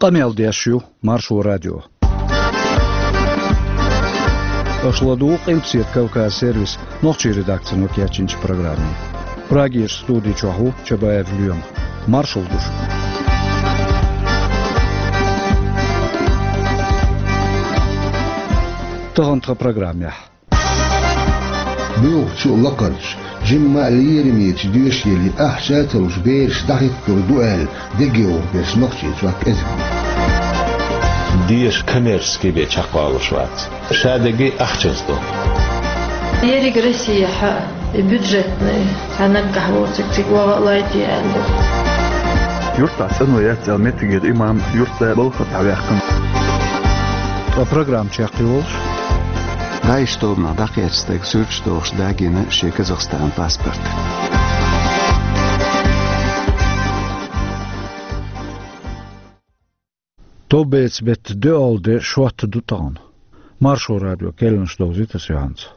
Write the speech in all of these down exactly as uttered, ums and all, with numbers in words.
Къамел деш ю Маршо радио. Аша ладугӀу Къилбаседа Кавказ сервисан нохчийн редакцино кечйинчу программе. Прагерчу студи чохь ву Чабаев Лоьма. Маршалла ду шуьга. Тахана тхан программехь. Муьлххачу а лакхарчу, жимма а лерамечу доьшийле ахча а ца луш бераш дӀахӀитталур ду аьлла, дегайовхо берш Нохчийчохь кӀезиг бу. Деша коммерческий бен чекхвалуш вац. Ша дерг ахчанца ду. Ерриг Россехь а, и бюджетный, цхьа наггахь воцург цига ваха а лайте аьлла. Юьртахь цӀано яц аьлла, меттигера имам юьртда балха схьаваьккхина. Ткъа программа чекхйолуш, ДАИШ тобанах дӀакхаьчна стаг суьрташ дохуш дагийна шен Казахстанан паспорт. Товбецан беттан доьалгӀа де шортта ду тахана. Маршо радион керланаш довзуьйту аса юьхьанца.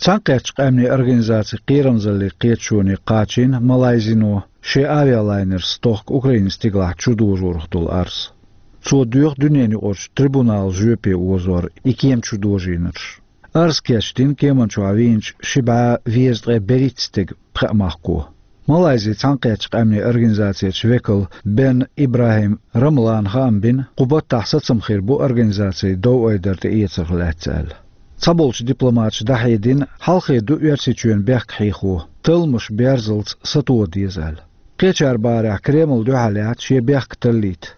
Цхьаьнакхеттачу къаьмнийн организацин кхерамзаллин кхеташоне кхачийна Малайзино шен авиалайнерца стохка Украинан стигалахь чудожорах долу арз. Цо доьху дуьненаюкъарчу трибунало жоьпе озор и кема чудожийнарш. Арз кечдина кеман чохь вийначу ши бӀе везткъе берхӀитта стеган пхеа махко. Малайзин цхьаьнакхеттачу къаьмнийн организацерчу векала Бен ИбрахӀим Рамлана хаам бина, кху баттахь сацам хир бу организацин дов-айдар тӀеэцарх лаьцна аьлла. Цхьаболчу дипломаташа дӀахьедина, хьалхе ду Оьрсийчоьнан бехк хьехо, талламаш берзалц сатоха деза аьлла. Кхечара бахарехь, Кремль дуьхьал яц шен бехк таллийта.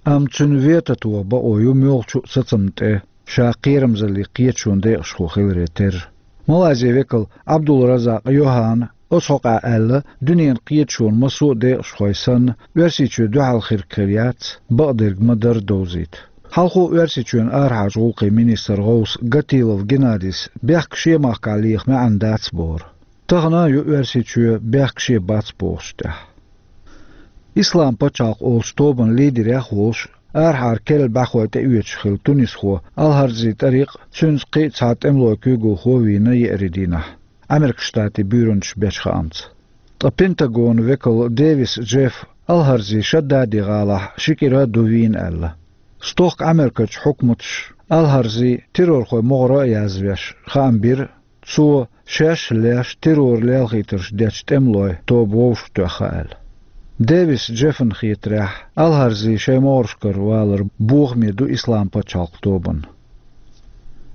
Амма цуьнан ветотан бакъо ю муьлххачу а сацамна тӀе, ша кхерамзаллин кхеташонан декъашхо хиларе терра. Малайзин векала Абдул-Разакъ Йохана оцу хьокъехь аьлла, дуьненан кхеташонан массо а декъашхой санна, Оьрсийчоь дуьхьал хирг хир яц, бакъдерг ма-дарра довзийта. Хьалхо Оьрсийчоьнан арахьарчу гӀуллакхийн министран гӀовса Гатилов Геннадис бехк шен махкахь леха маьӀна дац бохура. Тахана а ю Оьрсийчоь бехк шен бац бохучу тӀехь. Ислам пачхьалкх олучу тобанан лидерех а волуш, арахьара керла бӀаьхой тӀеоьцуш хилла тунисхо Алхарзи ТӀарикъ а, цуьнца кхин а цхьа тӀемалойн куьйгалхо а вийна еарин дийнахь, Ӏамеркан Штатийн буьйранчаша бечу хаамца. Ткъа Пентагонан векал Дэвис Джеффа Алхарзи Шаддади-гӀалахь ши кӀира а ду вийна аьлла. Стохка Ӏамеркачу хьукматаша Алхарзи террорхойн могӀаро а язвеш, хаам бира, цо шаьш а леш террор лелхийтарш дечу тӀемалойн тоба вовшахтоьхна аьлла. Дэвис Джеффана хетарехь, Алхарзи шайн могӀаршкара валар бохаме ду Ислам пачхьалкхан тобанна.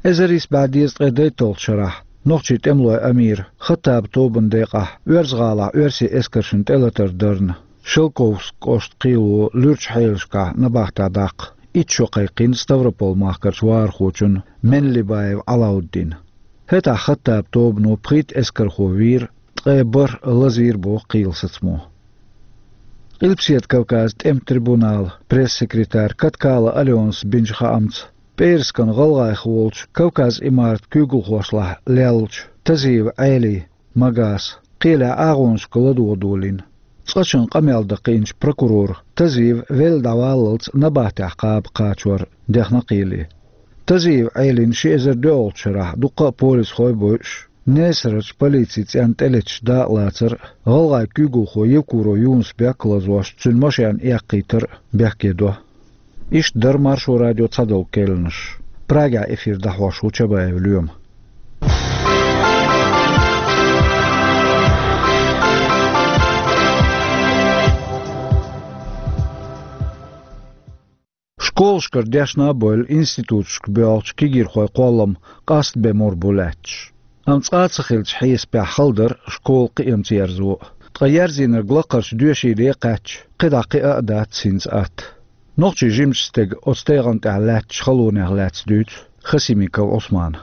Эзар исс бӀе дезткъе дейтталгӀачу шарахь нохчийн тӀемалойн амиран Хаттабан тобанан декъехь Оьрза-гӀалахь оьрсийн эскаршна тӀелатар дарна, Шелковски кӀоштан кхело луьрачу хьелашкахь набахтехь даккха итт шо кхайкхийна Ставрополь-махкарчу вахархочунна Менлибаев Ӏалауддина. ХӀетахь Хаттабан тобано пхийтта эскархо вийра, ткъе бархӀ лазийра боху кхелан сацамо. Къилбаседа Кавказан тӀеман трибуналан пресс-секретарь Каткала Аленас бинчу хаамца, пӀераскан гӀалгӀайх волчу Кавказан имаратан куьйгалхошлахь леллачу Тазиев Ӏелин, Магаса, кхелехь агӀонашка ладогӀа долийна. Цкъачунна къамел дан кхиъначу прокурора Тазиев велла дӀаваллалц набахтехь кхаба кхачор дехна кхеле. Тазиев Ӏелина ши эзар доьалгӀачу шарахь дуккха а полисхой а бойуш, Несарарчу полицин цӀенна тӀелеташ дакъалацар а, гӀалгӀайн куьйгалхо Евкуров Юнус-Бек а лазош, цуьнан машен эккхийтар а бехке до. Иштта дара Маршо радион цхьадолу керланаш. Прагехь эфир дӀахьош ву Чабаев Лоьма. Школашкара дешна а бевлла, институташка боьлхучу кегийрхойн кхоллам къаста бен мур бу лаьтташ. Амма цкъа а ца хиллачу хьесапехь хала дара школан кхиамца ерзо а. Ткъа ерзийнарг лакхарчу доьшийле а кхаьчча, кхидӀа кхиа а дац хӀинца атта. Нохчийн жимачу стага оцу тайгӀан тӀехь лаьттачу халонех лаьцна дуьйцу Хасимиков Ӏусмана.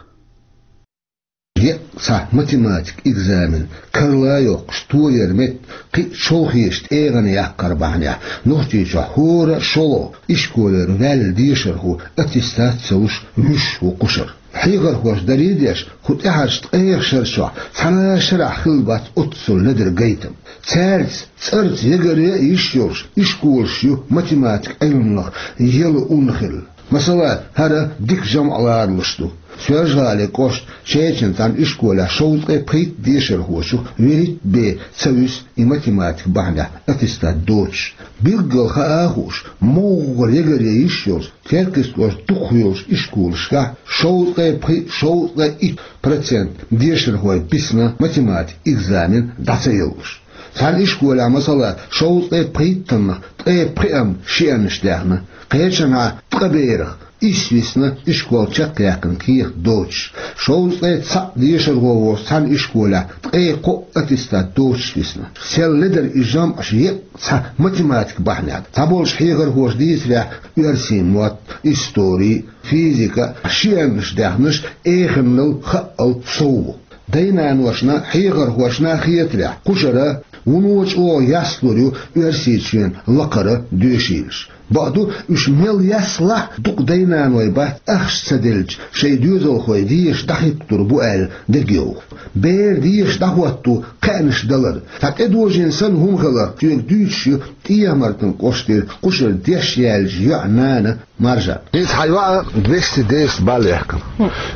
Е а цхьа математикан экзамен карла а йоккхуш, тояр метта кхин а шолхечу тӀегӀан яккхар бахьанехь, Нохчийчохь хӀора а шолгӀа ишколера ваьлла дешархо аттестат а ца луш, вуьшуш ву кхушара. Хьехархоша даре а деш, кху тӀаьхьарчу ткъех шарчохь цхьана а шарахь хилла бац оццул ледара гайтам. Цаьрца цӀарца ягаре а йиш йолуш ишколаш ю математикан Ӏилманах яла ун хилла. Масала, хӀара дика жамӀ ларалуш ду. Соьлжа-ГӀалин кӀоштан Чечанан цхьана ишколехь шовзткъе пхийтта дешархочух вуьрхӀитта бен ца вуьсу и математика бахьанехь аттестат доцуш. Билггал хаа а хууш, могӀара ягаре йиш йолуш, Теркйистера кӀоштан дукхах йолчу ишколашкахь шовзткъе пхиъ, шовзткъе итт процент дешархой бисна математика экзамен дӀа ца яллуш. Цхьана ишколехь, масала, шовзткъе пхийттаннах ткъе пхиъ-м шиъаннаш даьхна, кхечанхьа ткъа берах исс висна ишкол чекхъяьккхина кехат доцуш. Шовзткъе цхьаъ дешархо волчу цхьана ишколехь ткъе кхоъ аттестат доцуш висна. Сел ледара и жамӀаш еккъа цхьа математика бахьанехь. Цхьаболчу хьехархоша дийцарехь, оьрсийн мотт, истори, физика, шиъаннаш даьхнарш эханал, хаъал сов бу. Дай-наношна, хьехархошна хетарехь, кхушара вуно чӀогӀа яслур ю оьрсийн чоьнан лакхара доьшийлаш. Бакъду, уьш мел яслахь а, дукха дай-наной бац ахча ца делча, шайн доьзалхой деша дӀахӀитталур бу аьлла дегайовхо. Бер деша дӀахӀотто кхаьънаш далар. Цхьа тӀедожийна санна хӀума хиларх соьга дуьйцуш ю ТӀехьа-Мартан кӀоштара кхушара деш яьллачу йоӀан нана Маржан. Иза хьан йоӀа двести десять балл яьккхина.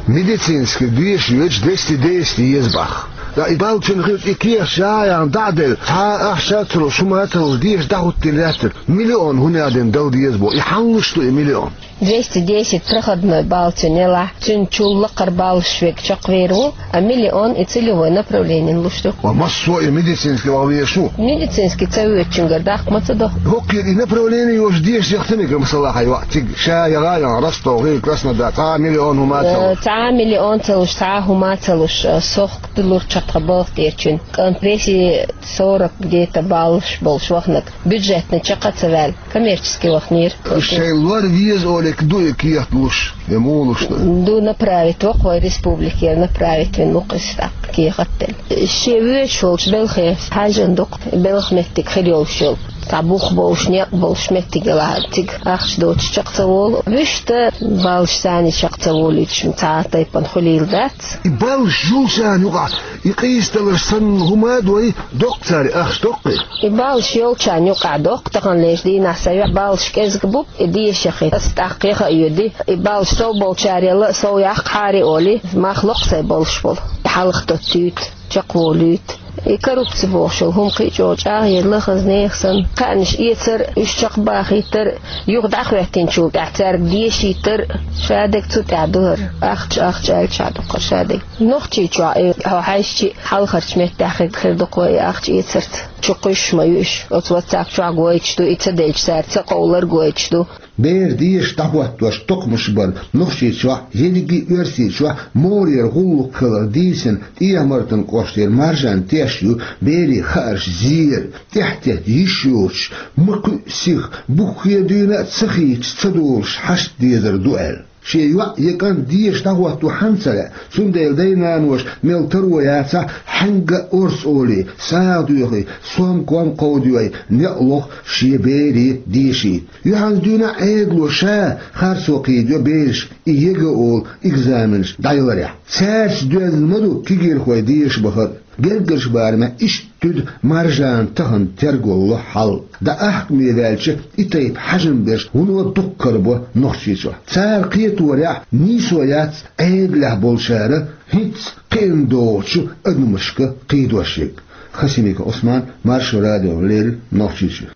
Медицинский деша йоьдуш двести десять еза боху. Ткъа и балл цуьнан хилча, и кехат ша а яхна дӀа а делла, цхьа а ахча а ца луш, хӀума а ца луш, деша дӀахӀуттийна лаьттара, миллион хӀунда аьлла дина дала деза боху. И хьанна луш ду и миллион? Двести десять проходной балл цуьнан елахь, цуьнан чул лакхара баллаш верг чекхвер ву, а миллион и целевой направлениена луш ду. Ва массо а и медицинский ваха везаш ву? Медицинский ца воьдучуьнгара даккха ма ца до. ХӀокхуьнан и направление йолуш деша яхтамика, масала, хьан йоӀ цига ша яха а яхна, Ростов, хӀинца Краснодар, цхьа а миллион хӀума а ца луш. Э, цхьа а миллион ца луш, цхьа а хӀума а ца луш, э, сохта лур чекхбалха тӀерачуьнан. КӀант весий сорок где-то баллаш болуш вахнарг. Бюджетный чекх а ца ваьлла, коммерческий вахнера. Шайн лор веза олий ду и кехат луш, я муха луш ду? Ду, направить вокху вай республикера, направить вина ву-кх иза тӀаккха кехат а делла. Шен воьдуш волчу белхе хьаьжжина ду-кх, белхан меттиг хир йолуш йолу. Цхьа бух болуш, некъ болуш меттиг елахь а, цига ахча доцуш чекх ца волу. Вуьшта баллаш царна чекх ца волуьйтуш цхьа а тайпана хуьлийла дац. И баллаш йолчарна юкъахь, и къийсадаларш санна хӀума а дой, доккху цара, ахча доккхий? И баллаш йолчарна юкъахь доккху, таханлерчу дийнахь сан йоӀ баллаш кӀезиг бу, и деша яхийта, аса тӀаккха яха а йоьдий, и баллаш сов болчарел а сов яккхахьара олий, мах локху сайн баллаш болу. Хьалха доцуьйту, чекхволуьйту. И коррупци бохуш йолу хӀума кхин а чӀогӀа чӀагӀъелла хаза нехан санна. Кхаьънаш эцар, уьш чекхбахийтар, юха дӀахӀоьттинчул тӀаьхьа цаьрга дешийтар, шадерг цу тӀехь ду хӀара. Ахча, ахча аьлча хьан ду-кх хӀара шадерг. Нохчийчохь, э, хьо хьаьжча, хьалхарчу меттехь хир, хир ду-кх вай и ахча эцарца. Чу кхуьссуш ма ю уьш. Оцу WhatsApp чохь гойтуш ду, и ца делча цара ца къовлар гойтуш ду. Бер деша дӀахӀоттош токхамаш бар Нохчийчохь, ерриге а Оьрсийчохь могӀарера гӀуллакх хилар дийцина ТӀехьа-Мартан кӀоштера Маржан теш ю берийн хаарш зер, тӀаьхьатетта йиш йоцуш, ма кхуьу сиха, буххе дуьйна а ца хийцаш ца долуш хьашт дезар ду аьлла. Шен йоӀ я кӀант деша дӀахӀотто хьанна ца лаьа, цундела дай-наноша мел таро яцахь, хьаьнга а орца олий, сагӀа доьхий, сом-ком кховдой, некъ лоху шен берийн дешийта. Юьхьанца дуьйна а Ӏедало ша харцо кхийдайо бераш и ЕГЭ олу экзаменаш дӀаяларехь. Цаьрца доьзна ма ду кегийрхой деша бахар а. Гергарчу барамехь иштта туьду Маржанан тахана тергалло хьал. ДӀа ахкаме ваьлча, и тайпа хьежам берш вуно дуккха карабо Нохчийчохь. Цара кхеторехь, нийсо яц Ӏедалехь болчара хӀинцца кхиъна догӀучу адамашка кхийдош ерг. Хасимиков Ӏусман, Маршо радиона леррина, Нохчийчоь.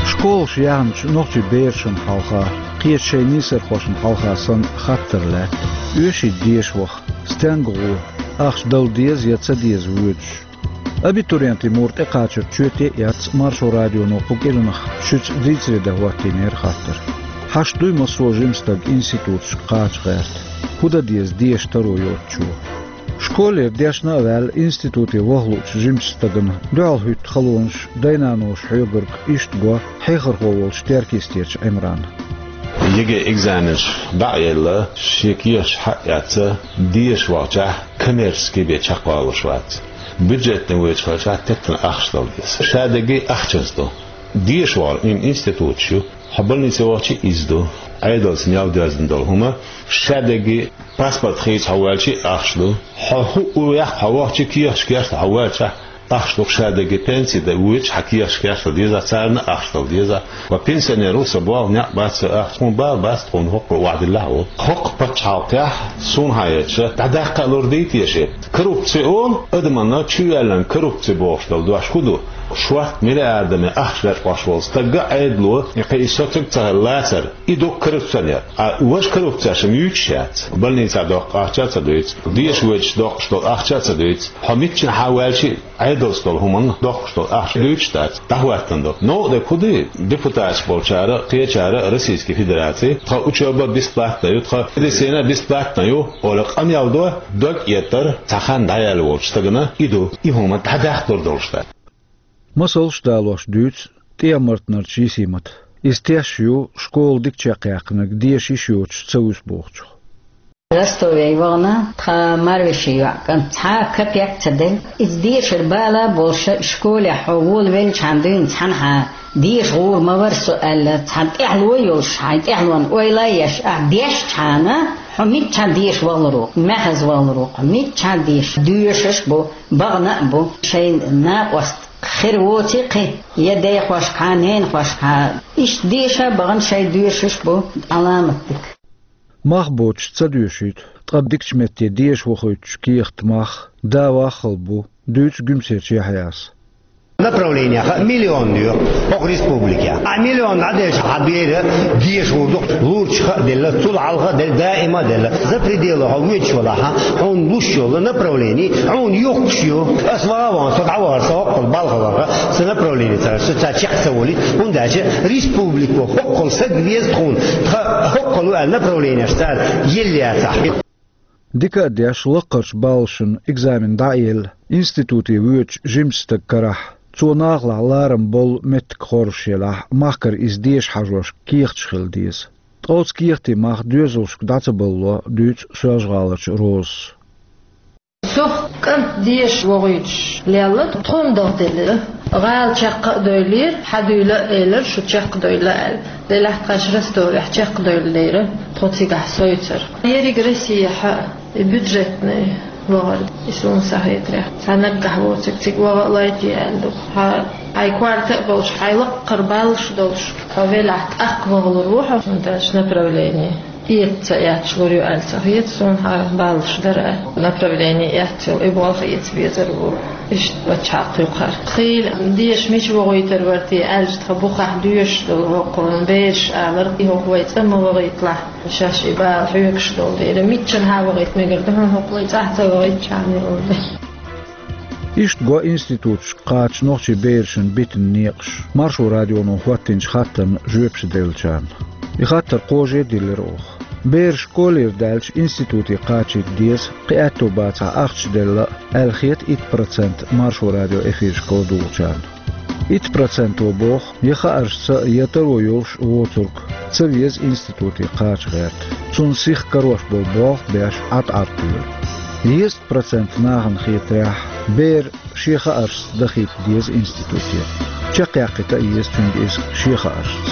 Школаш яьхначу нохчийн берашна хьалха, кхечу шайн нийсархошна хьалха санна хаттар лаьтта: оьший деша ваха, стенга гӀо, ахча дала деза я ца деза воьдуш? Абитуриентийн мур тӀекхачар чоьте а эцна, Маршо радионо кху кӀиранах шуьца дийцаре дан хӀоттийнера хаттар. Хьашт дуй массо а жима стаг институташка кхача гӀерта? ХӀун дан деза деша таро йоцучо? Школера дешна а ваьлла, институте ваха луучу жимачу стагана дуьхьал хӀуьтту халонаш, дай-наноша хьоьгург иштта го хьехархо волчу Теркйистерчу Ӏимрана. ЕГЭ экзаменаш дӀа а елла, шен кехаташ хьаэцна, деша вахчахь, коммерческий бен чекхвалуш вац. Бюджетный воьдуш хилчахь, теттина ахча дала деза. Шадерг ахчанца ду. Деша вахар ин-, институташ ю. Хьо больнице вахча, иза ду. Ӏедалца мел доьзна долу хӀума, шадерриге паспорт хийца хьо ваьлча а ахча ду. Хьо хӀуъу вехха хьо вахча, кехаташ кечъян хьо ваьлча, ахча ду-кх шадерриге, пенси дан воьдуш хьан кехаташ кечъян деза, царна а ахча дала деза. Ва пенсионер ву со, болх некъ бац со, ахча тхуна бала бац, тхуна хӀокхо охьадиллахь а волу. ХӀокху пачхьалкхехь суна хьаэцча, дӀадаккха а лур дий те шен? Коррупци олу адамна чу ваьллина, коррупци бохуш долу дош хӀун ду? Шорта миллиардами ахча лечкъош волу стаг а, Ӏедало, и кхин и соцург ца хилла лацар, и ду коррупционер. А важа коррупцеш-м юьйцуш яц. Больницехь доккху ахча а ца дуьйцу, деша воьдуш доккхуш долу ахча а ца дуьйцу. Хьо миччанхьа ваьлча а, Ӏедалца долу хӀуманна доккхуш долу ахча дуьйцуш дац, дӀахӀоьттина ду. Новкъа дерг хӀун ду? Депутаташ болчара, кхечара Российски Федераци, тхан учоба бесплатна ю, тхан медицина бесплатна ю, олий къамел до, дог эттар цхьа хан дӀаяьлла волчу стагана и ду. И хӀума дӀадахьа лур долуш дац. Масалш далош дуьйцу ТӀехьа-Мартанарчу Йисимата. Иза тешна ю, школа дика чекхъяьккхинарг деша йиш йоцуш ца вуьсу бохучух. Ростове вахана тхан марвешин йоӀ кӀант, цхьа а капек ца делла. Иза дешар бала а болуш, школехь хьо волавеллачхьана дуьйна цхьанхьа деша гӀур ма вара со аьлла, цхьана тӀаьхьало йолуш, хьайн тӀаьхьалонна ойла а еш, ахь дешчхьана, хьо миччахьа деша вахалур ву-кх, маьхаза вахалур ву-кх, хьо миччахьа деша, доьшуш а бу, бахана а бу, шайн накъост хир воций кхин, я дайхошкахьа, ненахошкахьа, иштта деша а бахана шайн доьшуш а бу, Ӏаламат дика. Мах боцуш ца доьшуьйту, ткъа дикачу метте деша вохуьйтучу кехатан мах да ваххал бу, дуьйцу Гуьмсерчу Яхьъяс. Направление хаьа миллион ю хӀокху республике. А миллион дӀаделча, хьан бер деша гӀур ду-кх, лурча хаа делла, цул хьалха а делла, даима а делла. За пределы хьо воьдуш валахь, хьуна луш йолу направление хьуна юхкуш ю. Ас ваха а вахана, со дӀавахара, со хӀоккхул балха ваха, сан направление ца, со цара чекх ца волуьйту, хӀунда аьлча республико хӀоккхул стаг веза тхуна, тхан хӀоккхул ву аьлла направлениеш цара елла яцахь. Дика а деш, лаккхарчу баллашна экзамен дӀа а елла, институте воьдучу жимачу стага карахь, цо нахалахь ларам болу меттиг хоржуш елахь, махкара иза деша хьажош кехаташ хила деза. Ткъа оцу кехатийн мах доьзалшка дӀа ца балло, дуьйцу Соьлжа-ГӀаларчу Розас. Со кӀант деша вохуьйтуш лелла, тхуна дахделира. ГӀала чекх а дойлира, хьан дуьйла а элира, шу чекхдойла аьлла. Делахь тхаьш Ростовехь чекхдойла дайра, тхо цигахь совцура. Ерриг Россехьа и бюджетный вахар, и суна сахьетарехь, цхьа наггахь воцург цига ваха а лайтий аьлла ду. Хьан, хьайн корта а болуш, хьайн лаккхара баллаш долуш, хьо велахь, тӀаккха вахалур ву хьо, хӀунда аьлча направление эца ца эцча лур ю аьлла ца хета суна, хьан баллаш дара аьлла. Направление эцна йолу и болх эца безар ву. Иштта пачхьалкх юкъара. Хийла деша мича вохуьйтур вара те аьлча, тхан бухахь доьшуш долу хӀокхунна бераша алара, и хӀокху вай цӀа ма вахийталахь, шаьш и бала хьоьгуш долу дела, миччанхьа а вахийта мегар ду хьуна, хӀокху вай цӀахь ца вахийтча, чарна йолу дела. Иштта го институташка кхача нохчийн берашна битина некъаш, Маршо радионо хӀоттийначу хаттарна жоьпаш деллачарна. И хаттар кхаже а диллира оха. Бераш школера даьлча институте кхачийта деза, кхин аьтто бацахь ахча делла а, аьлла хета итт процент Маршо радион эфирашка ладугӀучарна. Итт проценто боху, я хааршца, я таро йолуш воцург ца веза институте кхача гӀерта. Цунна сиха карош болу болх беш, Ӏад-Ӏад кхоьру. Дезткъа процент нахана хетарехь, бер шен хааршца дахийта деза институте. Чекхъяьккхийта а еза цуьнга иза шен хааршца.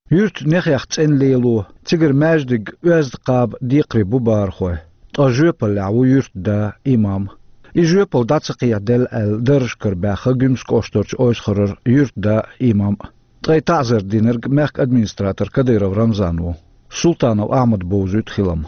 Юьртан нехех цӀена лело, цигара маьждиг, оьзда кхаба декхаре бу бахархой. Ткъа жоьпаллехь ву юьртда, имам. И жоьпалла дӀа ца кхехьаделла аьлла, даржашкара баьхна Гуьмсан кӀоштарчу Ойсхарара юьртда, имам. Ткъе таӀзар динарг мехкан администратор Кадыров Рамзан ву. Султанов Ахьмада бовзуьйту хилам.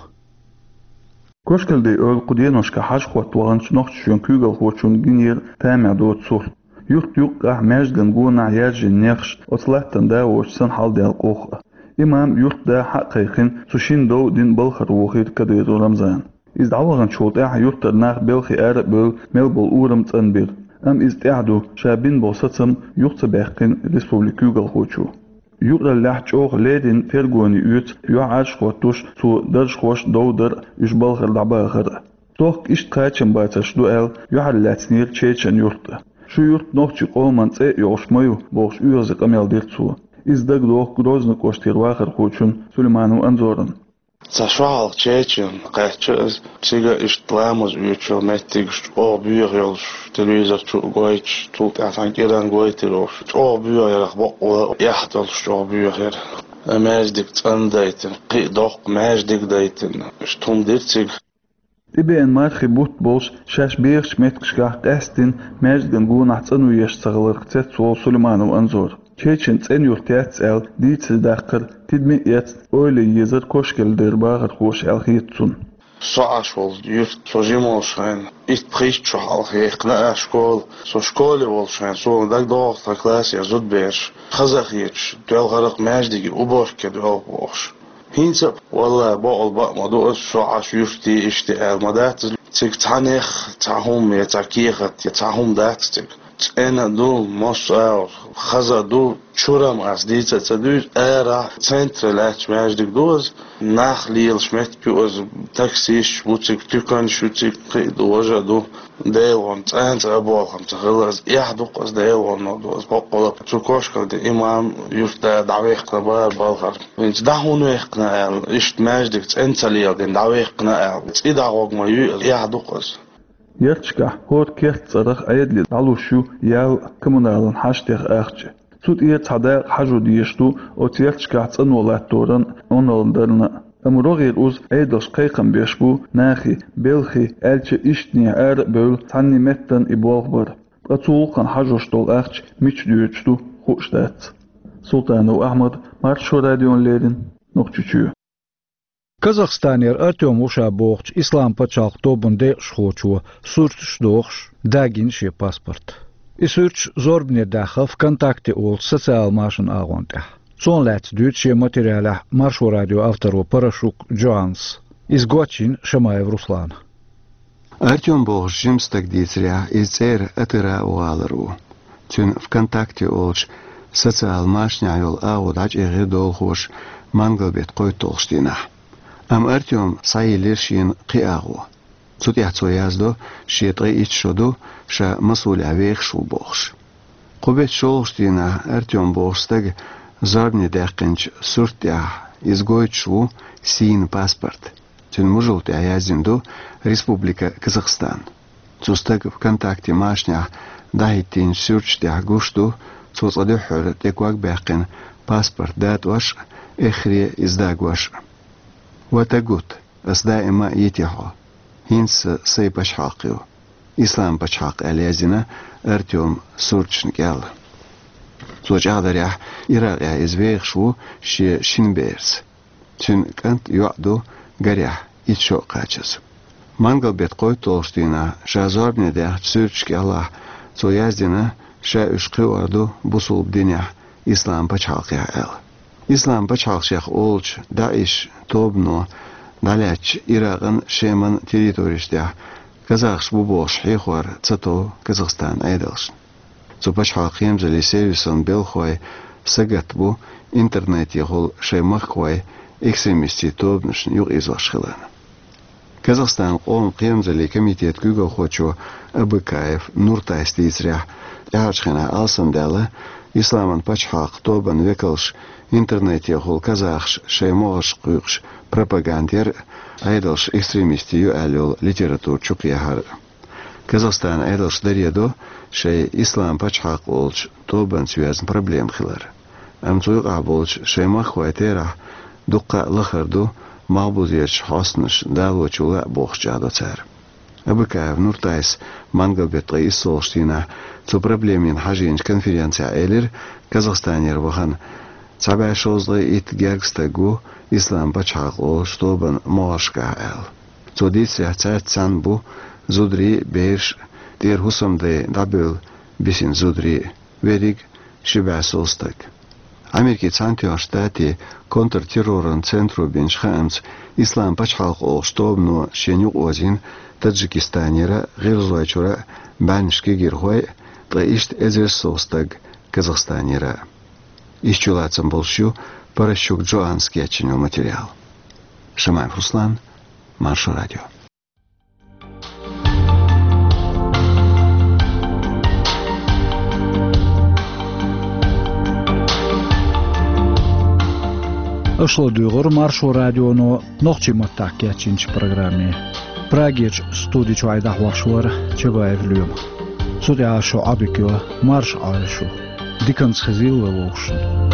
Кошкалдей ойла кху деношкахь хьажа-хӀотта ваханчу нохчашоьнан куьйгалхочунна гинера тамехь доцу сурт. Юьртан юккъехь маьждиган гонахь яьржина нехаш оцу латтана да воцуш санна хьалдаьлла къохкъа. Имам юьртда хьа а кхайкхина, цу шина дов дина балхара вохийра Кадыров Рамзана. Иза дӀаваханчул тӀаьхьа юьртара нах белхий ара а бевлла, мел болу урам цӀанбира. Амма иза тӀаьхьа ду, ша бина болу сацам юха ца баьккхина республикан куьйгалхочо. Юкъараллехь чӀогӀа леррина тергоне оьцу юьхьӀаьржа хӀоттош, цо даржахошна дов дар а, уьш балхара дӀабахар а. Тохка иштта кхачам бацарш ду аьлла, юьхьарлаьцнера Чечан юрт а. Шу юрт нохчийн къоман цӀе а йолуш ма ю, бохуш, оьгӀазе къамел дира цо. Иза дагадоху Грозный кӀоштера вахархочун Сулейманов Анзоран. Цхьа шо хьалха Чечен кхаьчча иза, цига иштта ламаз оьцуш йолу меттигаш чӀогӀа боьха йолуш, телевизор чу а гойтуш, цул тӀаьхьа цхьана кӀиран гойтур йолуш, чӀогӀа боьха ярах бакъвала эхь долуш чӀогӀа боьха яра. Маьждиг цӀандайтина, кхин а доккха маьждиг дайтина, иштта хӀума дира цига. ТӀебеана мархи бутт болуш, шаьш бехачу меттигашкахь къаьсттина маьждиган гонахь цӀано еш ца хиларх цецволу Сулейманов Анзор. Чечен цӀена юрт яц аьлла дийцаре даккхар тидаме а эцна, ойла езар Кошкеле дерг бахархоша аьлла хета цунна. Со Ӏаш волу юрт, со жима волуш хенахь, итт-пхийтта шо хьалха яьккхина а школа. Со школе волуш хенахь, суна дагадогӀу тхан классера зудабераш хаза а хеташ, доьлхург маьждиге уборка дойла бохуш. ХӀинца а, валлахӀи, бакъвала бакъ ма ду аса, со Ӏаш юрте иштта аьлла ма дац иза. Цига цхьаннех цхьа хӀума я цхьа кехат я цхьа хӀума дац цига. ЦӀена а ду, массо а агӀор хаза а ду, чуьра ма аса дийца а ца дуьйцу, арахь центре лаьтташ маьждиг ду иза. Нах лелаш меттиг ю иза, таксисташ бу цига, туьканаш ю цига, кхин а ду, важа а ду. Делахь цӀанца а болх ца хилла иза, эхь ду-кх иза, делахь ду иза, бакъвала. Цу Кошкеле имам юьртда дӀаваьккхина бара балхара. ХӀинца дӀа хӀунда ваьккхина аьлла, иштта маьждиг цӀена ца леладина дӀаваьккхина аьлла, цӀий дӀагӀорг ма ю иза, эхь ду-кх иза. Ярташкахь хӀора керта цӀарах Ӏедале дӀалуш ю ял а, коммуналан хьаштех ахча. Цу тӀера цхьа дакъа хьажо дезаш ду оцу ярташкахь цӀано латторан а, Ӏуналан дарна а. Амма рогӀера уза Ӏедалша кхайкхам беш бу нахе, белхи, аьлча, ишттанехьа ара а бевлла, цхьанне меттана и болх бар. Ткъа цу гӀуллакхана хьажош долу ахча мича доьдуш ду, хууш дац. Султанов Ахьмад, Маршо радиона леррина, Нохчийчоь. Казахстанера Артём ву ша бохучу Ислам пачхьалкх тобанан декъашхочо, суьрташ а дохуш, дагийна шен паспорт. И суьрташ зорбане даьхна ВКонтакте олучу социал машанан агӀонна тӀехь. Цунах лаьцна дуьйцу шен материалехь Маршо радион авторо Парашук Джоаннас. Иза гочйина Шамаев Руслана. Артём бохуш жима стаг дийцарехь, иза цӀера Атырау гӀалара ву. Цуьнан ВКонтакте олучу социал машанехь йолу агӀо дӀачӀагӀйира долахоша мангал-беттан кхойтталгӀачу дийнахь. Амма Артёма схьайиллира шена кхин агӀо. Цу тӀехь цо яздо, шен ткъе итт шо ду, ша Масулехь вехаш ву бохуш. Кху беттан шолгӀачу дийнахь Артём бохучу стага зорбане даьккхинчу суьрта тӀехь иза гойтуш ву сийна паспорт. Цуьнан мужалта тӀехь яздина ду «Республика Казахстан». Цу стага ВКонтакте машанехь дӀахӀиттийначу суьрташ тӀехь гуш ду, цо цкъа дуьххьара тӀе ког баьккхина паспорт датӀош а, эххар а иза дагош а. «Ва тагут, ас даима а йити хьо. ХӀинца сан сайн пачхьалкх ю, Ислам пачхьалкх», аьлла яздина Артёма суьрташна кӀел. Цо чӀагӀдарехь, Иракъехь иза вехаш ву шен шина берца. Цуьнан кӀант, йоӀ ду, гарехь, итт шо а кхачаза. Мангал-беттан кхойтталгӀачу дийнахь ша зорбане даьхначу суьрташ кӀелахь цо яздина, ша уьш кхиор ду бусулба динехь, Ислам пачхьалкхехь аьлла. Ислам пачхьалкх шех олучу ДАИШ тобано дӀалаьцначу Иракъан, Шеман территореш тӀехь казахаш бу бохуш хьехор ца тов Казахстанан Ӏедалшна. Цу пачхьалкхан кхерамзаллин сервисан белхахой сагатта бу интернетехула шайн махкахой экстремистийн тобанашна юкъаийзош хиларна. Казахстанан къоман кхерамзаллин комитетан куьйгалхочо Абыкаев Нуртайс дийцарехь, тӀаьхьарчу хенахь алсамдаьлла Исламан пачхьалкх тобанан векалша интернетехула казахаш шайн могӀаршка кхуьйкъуш пропаганда яр а, Ӏедалш экстремистийн ю аьлла йолу литература чукхехьар а. Казахстанан Ӏедалша даре до шайн Ислам пачхьалкх олучу тобанца йоьзна проблема хилар. Амма цу юкъахь болчу шайн махкахойн терахь дуккха а лахара ду малхбузерчу хьостанаша далочо лаьа бохуш чӀагӀдо цара. Абыкаев Нуртайс мангал-беттан ткъе иссолгӀачу дийнахь цу проблемина хьажийначу конференцехь элира, Казахстанера вахана цхьа бӀе шовзткъе итт гергга стаг ву Ислам пачхьалкх олучу тобанан могӀаршкахь аьлла. Цо дийцарехь, цаьрца цхьаьна бу зударий а, бераш а, тӀера хӀусамдай дӀабевлла бисина зударий а, верриг ши бӀе сов стаг. Америкин Цхьаьнатоьхначу Штатийн контртерроран центро бинчу хаамца, Ислам пачхьалкх олучу тобано шена юкъаозийна Таджикистанера а, ГӀиргӀазойчуьра а бӀаьннаш кегийрхой а, ткъа иштта эзарш сов стаг Казахстанера а. Иштта чулацам болуш ю Паращук Джоаннас кечйина йолу материал. Шамаев Руслан, Маршо радио. Аша ладугӀура Маршо радионо нохчийн маттахь кечйинчу программе. Прагерчу студи чохь и дӀахьош вара Чабаев Лоьма. Цу тӀехь шун Ӏодика йо марша Ӏойла шу. Диканца хезийла вай вовшашна.